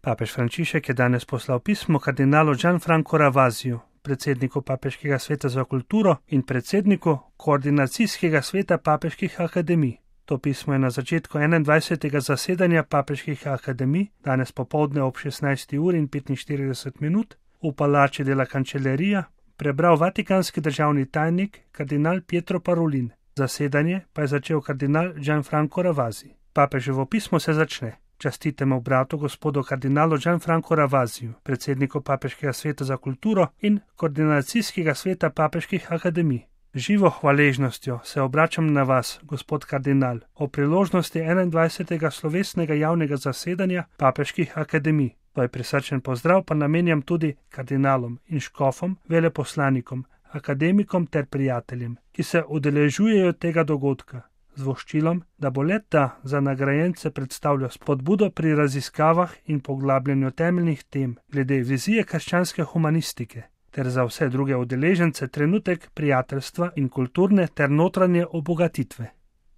Papež Frančišek je danes poslal pismo kardinalu Gianfrancu Ravasiju, predsedniku Papeškega sveta za kulturo in predsedniku Koordinacijskega sveta papeških akademij. To pismo je na začetku 21. zasedanja papeških akademij, danes popoldne ob 16:45 v Palači della Cancelleria, prebral vatikanski državni tajnik kardinal Pietro Parolin. Zasedanje pa je začel kardinal Gianfranco Ravasi. Papeževo pismo se začne: Častitemu bratu gospodu kardinalu Gianfrancu Ravasiju, predsedniku Papeškega sveta za kulturo in Koordinacijskega sveta papeških akademij. Živo hvaležnostjo se obračam na vas, gospod kardinal, o priložnosti 21. slovesnega javnega zasedanja papeških akademij. Tvoj prisrčen pozdrav pa namenjam tudi kardinalom in škofom, veleposlanikom, akademikom ter prijateljem, ki se udeležujejo tega dogodka, z voščilom, da bo le-ta za nagrajence predstavljal spodbudo pri raziskavah in poglabljanju temeljnih tem glede vizije krščanske humanistike, ter za vse druge udeležence trenutek prijateljstva in kulturne ter notranje obogatitve.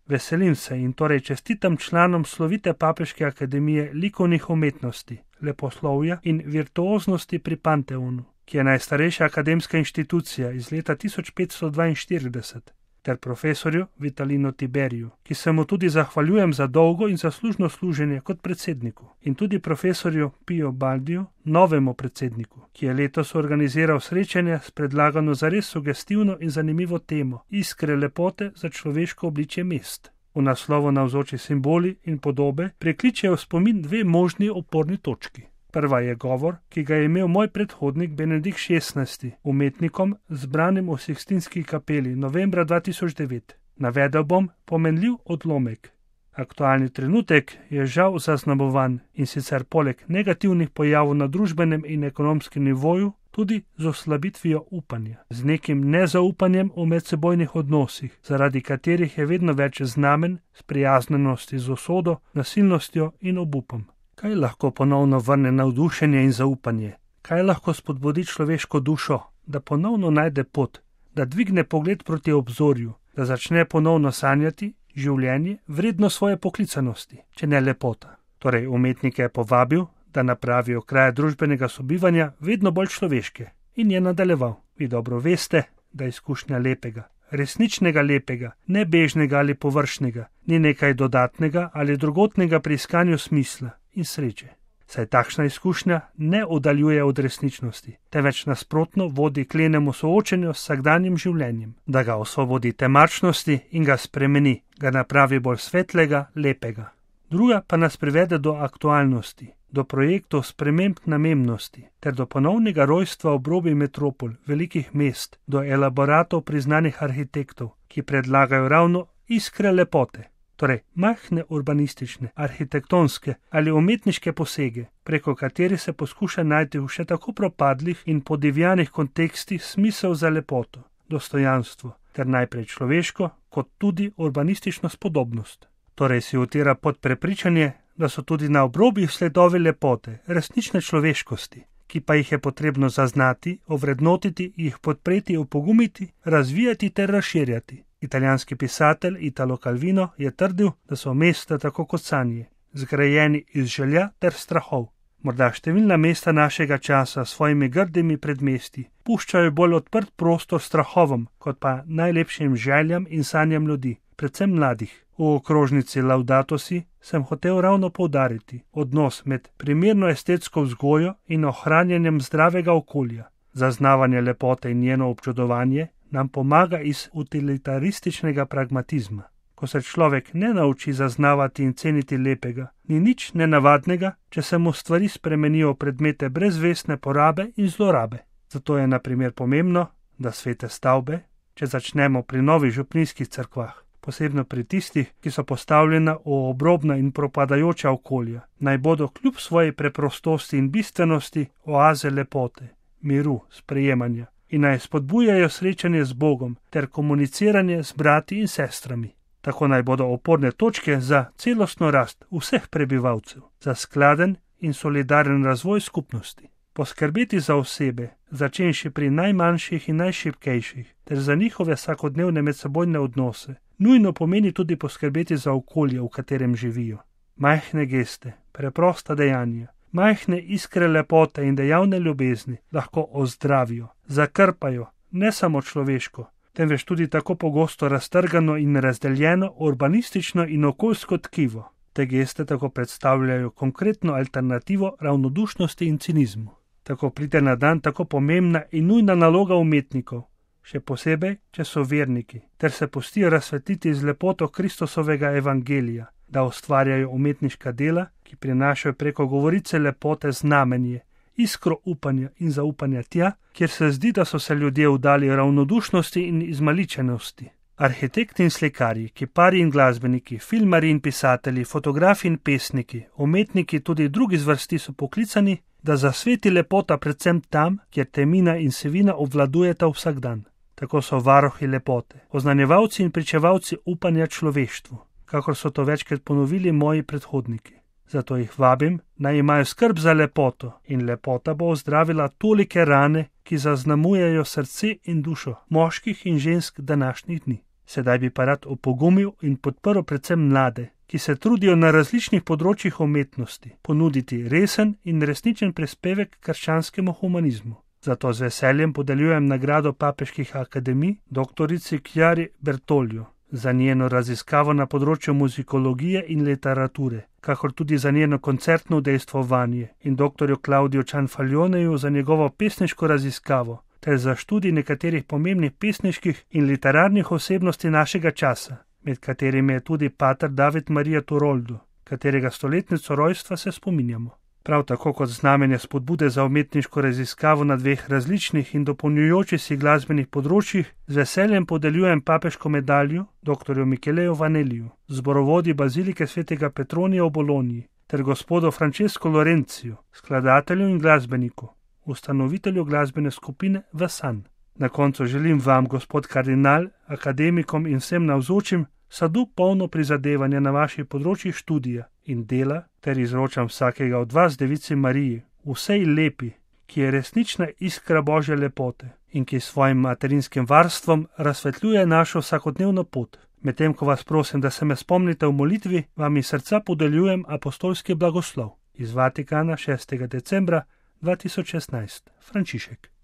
Veselim se in torej čestitam članom slovite Papeške akademije likovnih umetnosti, leposlovja in virtuoznosti pri Panteonu, ki je najstarejša akademska inštitucija iz leta 1542, ter profesorju Vitalinu Tiberiju, ki se mu tudi zahvaljujem za dolgo in zaslužno služenje kot predsedniku, in tudi profesorju Pio Baldiju, novemu predsedniku, ki je letos organiziral srečanje s predlagano zares sugestivno in zanimivo temo Iskre lepote za človeško obličje mest. V naslovu navzoči simboli in podobe prekličejo spomin dve možni oporni točki. Prva je govor, ki ga je imel moj predhodnik Benedikt XVI, umetnikom zbranim v Sikstinski kapeli novembra 2009. Navedel bom pomenljiv odlomek. Aktualni trenutek je žal zaznamovan in sicer poleg negativnih pojavov na družbenem in ekonomskem nivoju tudi z oslabitvijo upanja, z nekim nezaupanjem v medsebojnih odnosih, zaradi katerih je vedno več znamen sprijaznjenosti z usodo, nasilnostjo in obupom. Kaj lahko ponovno vrne navdušenje in zaupanje? Kaj lahko spodbudi človeško dušo, da ponovno najde pot, da dvigne pogled proti obzorju, da začne ponovno sanjati življenje vredno svoje poklicanosti, če ne lepota? Torej, umetnike je povabil, da napravijo kraje družbenega sobivanja vedno bolj človeške, in je nadaljeval: Vi dobro veste, da izkušnja lepega, resničnega lepega, nebežnega ali površnega, ni nekaj dodatnega ali drugotnega pri iskanju smisla in sreče. Saj takšna izkušnja ne oddaljuje od resničnosti, temveč nasprotno vodi k lenemu soočenju s vsakdanjim življenjem, da ga osvobodi temačnosti in ga spremeni, ga napravi bolj svetlega, lepega. Druga pa nas privede do aktualnosti, do projektov sprememb namembnosti ter do ponovnega rojstva obrobij metropol, velikih mest, do elaboratov priznanih arhitektov, ki predlagajo ravno iskre lepote, torej majhne urbanistične, arhitektonske ali umetniške posege, preko katerih se poskuša najti v še tako propadlih in podivjanih kontekstih smisel za lepoto, dostojanstvo ter najprej človeško kot tudi urbanistično spodobnost. Torej si utira pod prepričanje, da so tudi na obrobjih sledovi lepote, resnične človeškosti, ki pa jih je potrebno zaznati, ovrednotiti, jih podpreti, opogumiti, razvijati ter razširjati. Italijanski pisatelj Italo Calvino je trdil, da so mesta tako kot sanje, zgrajeni iz želja ter strahov. Morda številna mesta našega časa s svojimi grdimi predmestji puščajo bolj odprt prostor strahovom, kot pa najlepšim željam in sanjam ljudi, predvsem mladih. V okrožnici Laudato si sem hotel ravno poudariti odnos med primerno estetsko vzgojo in ohranjanjem zdravega okolja. Zaznavanje lepote in njeno občudovanje nam pomaga iz utilitarističnega pragmatizma. Ko se človek ne nauči zaznavati in ceniti lepega, ni nič nenavadnega, če se mu stvari spremenijo v predmete brezvestne porabe in zlorabe. Zato je na primer pomembno, da svete stavbe, če začnemo pri novih župnijskih cerkvah, posebno pri tistih, ki so postavljena v obrobna in propadajoča okolja, naj bodo kljub svoji preprostosti in bistvenosti oaze lepote, miru, sprejemanja in naj spodbujajo srečanje z Bogom ter komuniciranje z brati in sestrami. Tako naj bodo oporne točke za celostno rast vseh prebivalcev, za skladen in solidaren razvoj skupnosti. Poskrbeti za osebe, začenši pri najmanjših in najšibkejših, ter za njihove vsakodnevne medsebojne odnose, nujno pomeni tudi poskrbeti za okolje, v katerem živijo. Majhne geste, preprosta dejanja Majhne iskre lepote in dejavne ljubezni lahko ozdravijo, zakrpajo ne samo človeško, temveč tudi tako pogosto raztrgano in razdeljeno urbanistično in okoljsko tkivo. Te geste tako predstavljajo konkretno alternativo ravnodušnosti in cinizmu. Tako pride na dan tako pomembna in nujna naloga umetnikov, še posebej, če so verniki, ter se pustijo razsvetliti z lepoto Kristusovega evangelija, da ustvarjajo umetniška dela, ki prinašajo preko govorice lepote znamenje, iskro upanja in zaupanja tja, kjer se zdi, da so se ljudje vdali ravnodušnosti in izmaličenosti. Arhitekti in slikarji, kiparji in glasbeniki, filmarji in pisatelji, fotografi in pesniki, umetniki tudi drugi zvrsti so poklicani, da zasveti lepota predvsem tam, kjer temina in sivina obvladujeta vsak dan. Tako so varuhi lepote, oznanjevalci in pričevalci upanja človeštvu, kakor so to večkrat ponovili moji predhodniki. Zato jih vabim, naj imajo skrb za lepoto in lepota bo ozdravila tolike rane, ki zaznamujejo srce in dušo moških in žensk današnjih dni. Sedaj bi pa rad opogumil in podprl predvsem mlade, ki se trudijo na različnih področjih umetnosti ponuditi resen in resničen prispevek krščanskemu humanizmu. Zato z veseljem podeljujem nagrado papeških akademij doktorici Chiari Bertoglio za njeno raziskavo na področju muzikologije in literature, kakor tudi za njeno koncertno udejstvovanje, in doktorju Claudiu Cianfalloneju za njegovo pesniško raziskavo ter za študij nekaterih pomembnih pesniških in literarnih osebnosti našega časa, med katerimi je tudi pater David Maria Turoldo, katerega stoletnico rojstva se spominjamo. Prav tako kot znamenje spodbude za umetniško raziskavo na dveh različnih in dopolnjujočih si glasbenih področjih, z veseljem podeljujem papeško medaljo dr. Micheleju Vanelliju, zborovodji bazilike svetega Petronija v Bologni, ter gospodu Francesco Lorenziju, skladatelju in glasbeniku, ustanovitelju glasbene skupine Vasan. Na koncu želim vam, gospod kardinal, akademikom in vsem navzočim, sadu polno prizadevanja na vaših področjih študija in dela, ter izročam vsakega od vas Devici Mariji, vsej lepi, ki je resnična iskra Božje lepote in ki s svojim materinskim varstvom razsvetljuje našo vsakodnevno pot. Medtem ko vas prosim, da se me spomnite v molitvi, vam iz srca podeljujem apostolski blagoslov. Iz Vatikana 6. decembra 2016. Frančišek.